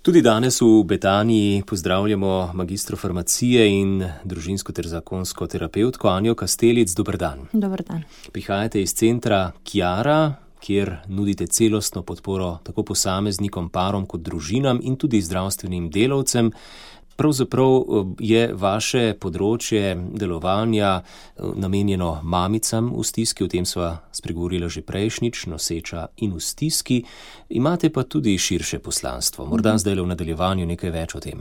Tudi danes v Betaniji pozdravljamo magistro farmacije in družinsko ter zakonsko terapevtko Anjo Kastelic. Dober dan. Dober dan. Prihajate iz centra Chiara, kjer nudite celostno podporo tako posameznikom, parom kot družinam in tudi zdravstvenim delavcem. Pravzaprav je vaše področje delovanja namenjeno mamicam v stiski, o tem sva spregovorila že prejšnjič, noseča in v stiski. Imate pa tudi širše poslanstvo. Morda zdaj v nadaljevanju nekaj več o tem.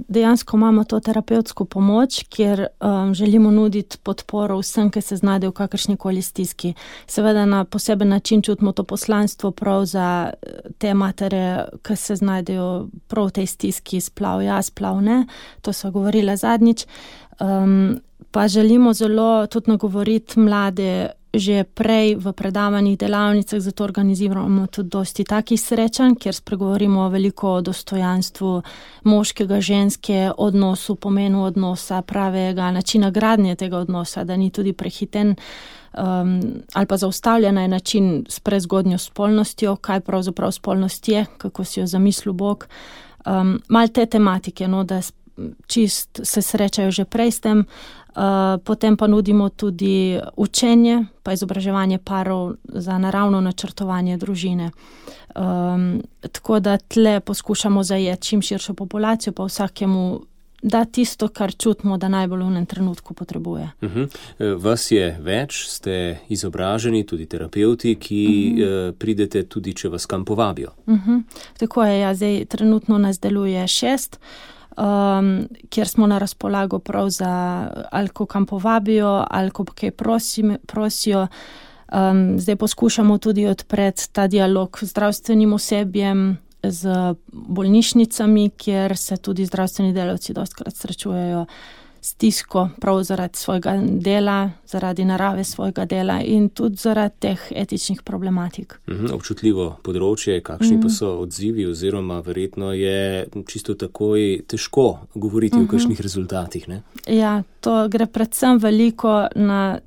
Dejansko imamo to terapevtsko pomoč, kjer želimo nuditi podporo vsem, ki se znajdejo v kakršnikoli stiski. Seveda na poseben način čutimo to poslanstvo prav za te matere, ki se znajdejo prav v tej stiski, splav ja, splav ne. To sva govorila zadnjič. Pa želimo zelo tudi nagovoriti mlade že prej v predavanjih, delavnicah, zato organiziramo tudi dosti takih srečanj, kjer spregovorimo veliko o dostojanstvu moškega, ženske, odnosu, pomenu odnosa, pravega načina gradnje tega odnosa, da ni tudi prehiten ali pa zaustavljena je način s prezgodnjo spolnostjo, kaj pravzaprav spolnost je, kako si jo zamislil Bog. Malo te tematike, da čist se srečajo že prej s tem. Potem pa nudimo tudi učenje, pa izobraževanje parov za naravno načrtovanje družine. Tako da tle poskušamo zajeti čim širšo populacijo, pa vsakemu da tisto, kar čutimo, da najbolj v enem trenutku potrebuje. Vas je več, ste izobraženi, tudi terapevti, ki pridete tudi, če vas kam povabijo. Tako je, zdaj trenutno nas deluje 6, kjer smo na razpolago prav za ali ko kam povabijo, ali ko kaj prosijo. Zdaj poskušamo tudi odpreti ta dialog z zdravstvenim osebjem, z bolnišnicami, kjer se tudi zdravstveni delavci dostikrat srečujejo stisko prav zaradi svojega dela, zaradi narave svojega dela in tudi zaradi teh etičnih problematik. Občutljivo področje, kakšni pa so odzivi oziroma verjetno je čisto takoj težko govoriti o kakšnih rezultatih, ne? Ja, to gre predvsem veliko na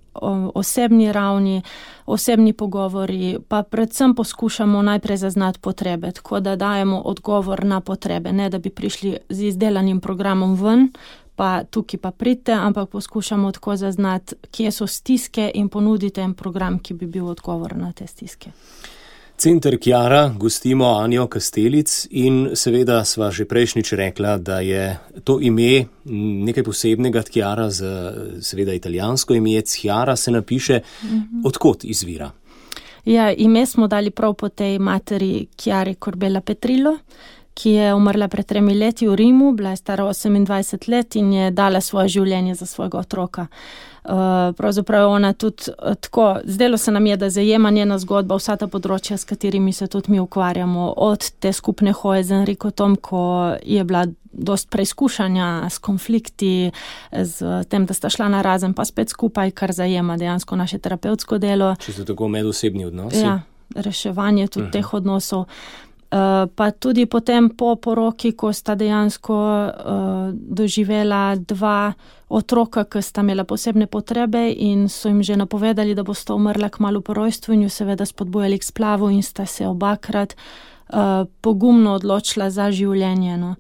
osebni ravni, osebni pogovori, pa predvsem poskušamo najprej zaznati potrebe, tako da dajemo odgovor na potrebe, ne da bi prišli z izdelanim programom ven, pa tukaj pa pridite, ampak poskušamo tako zaznati, kje so stiske in ponuditi en program, ki bi bil odgovor na te stiske. Center Chiara, gostimo Anjo Kastelic in seveda sva že prejšnjič rekla, da je to ime nekaj posebnega. Chiara, seveda italijansko ime, Chiara se napiše. Odkot izvira? Ja, ime smo dali prav po tej materi Chiari Corbella Petrillo, ki je umrla pred 3 leti v Rimu, bila je stara 28 let in je dala svoje življenje za svojega otroka. Pravzaprav je ona tudi tako, zdelo se nam je, da zajema njena zgodba vsa ta področja, s katerimi se tudi mi ukvarjamo, od te skupne hoje z Enricotom, ko je bila dost preizkušanja s konflikti, z tem, da sta šla narazen pa spet skupaj, kar zajema dejansko naše terapevtsko delo. Če so tako medosebni odnosi? Ja, reševanje tudi teh odnosov. Pa tudi potem po poroki, ko sta dejansko doživela 2 otroka, ki sta imela posebne potrebe in so jim že napovedali, da bosta umrla kmalu po rojstvu in jo seveda spodbujali k splavu in sta se obakrat pogumno odločila za življenje.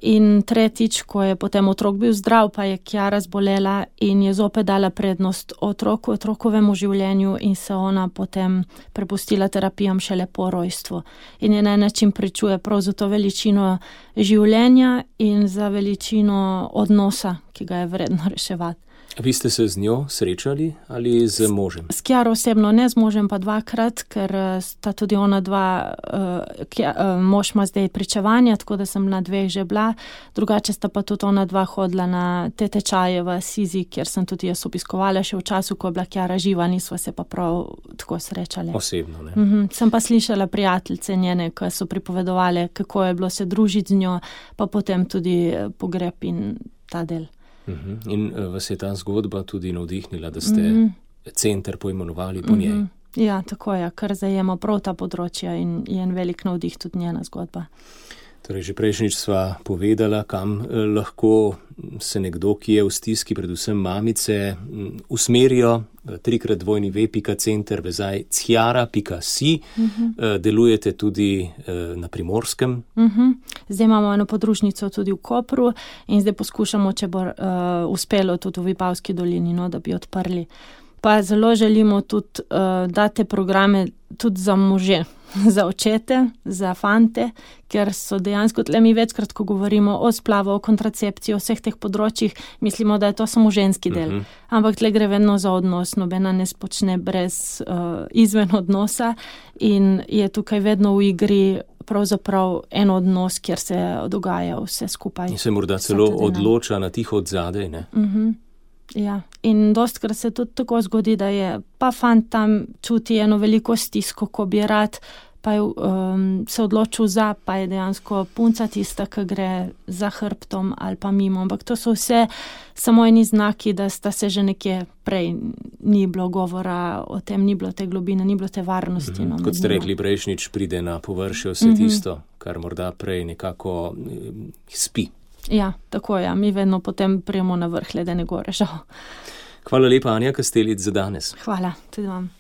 In tretjič, ko je potem otrok bil zdrav, pa je Chiara zbolela in je zopet dala prednost otrokovemu življenju in se ona potem prepustila terapijam šele po rojstvu. In je na en način pričuje prav za to veličino življenja in za veličino odnosa, ki ga je vredno reševati. Vi ste se z njo srečali ali z možem? S Chiaro osebno ne, z možem pa 2-krat, ker sta tudi ona 2, mož ima zdaj pričevanja, tako da sem na 2 že bila, drugače sta pa tudi ona 2 hodila na te tečaje v Sizi, kjer sem tudi jaz obiskovala še v času, ko je bila Chiara živa, nisva se pa prav tako srečali. Osebno, ne? Sem pa slišala prijateljice njene, ki so pripovedovali, kako je bilo se družiti z njo, pa potem tudi pogreb in ta del. In vas je ta zgodba tudi navdihnila, da ste center poimenovali po njej? Ja, tako je, kar zajema prav ta področja in je en velik navdih tudi njena zgodba. Torej, že prejšnjič sva povedala, kam lahko se nekdo, ki je v stiski, predvsem mamice, usmerijo. 3x2.center vezaj ciara.si. Delujete tudi na Primorskem. Zdaj imamo eno podružnico tudi v Kopru in zdaj poskušamo, če bo uspelo tudi v Vipavski dolini, no, da bi odprli. Pa zelo želimo tudi dati programe tudi za može, za očete, za fante, ker so dejansko tle mi večkrat, ko govorimo o splavu, o kontracepciji, o vseh teh področjih, mislimo, da je to samo ženski del. Ampak tle gre vedno za odnos, nobena ne spočne brez izven odnosa in je tukaj vedno v igri pravzaprav en odnos, kjer se dogaja vse skupaj. In se morda celo odloča na tiho od zadaj, ne? Ja, in dostkrat se tudi tako zgodi, da je pa fant tam čuti eno veliko stisko, ko bi rad, pa je se odločil za, pa je dejansko punca tista, ki gre za hrbtom ali pa mimo. Ampak to so vse samo eni znaki, da sta se že nekje prej ni bilo govora o tem, ni bilo te globine, ni bilo te varnosti. Kot ste rekli, prejšnjič pride na površje vse tisto, kar morda prej nekako spi. Ja, tako je. Mi vedno potem prijemo na vrh ledene gore, žal. Hvala lepa, Anja Kastelic, za danes. Hvala, tudi vam.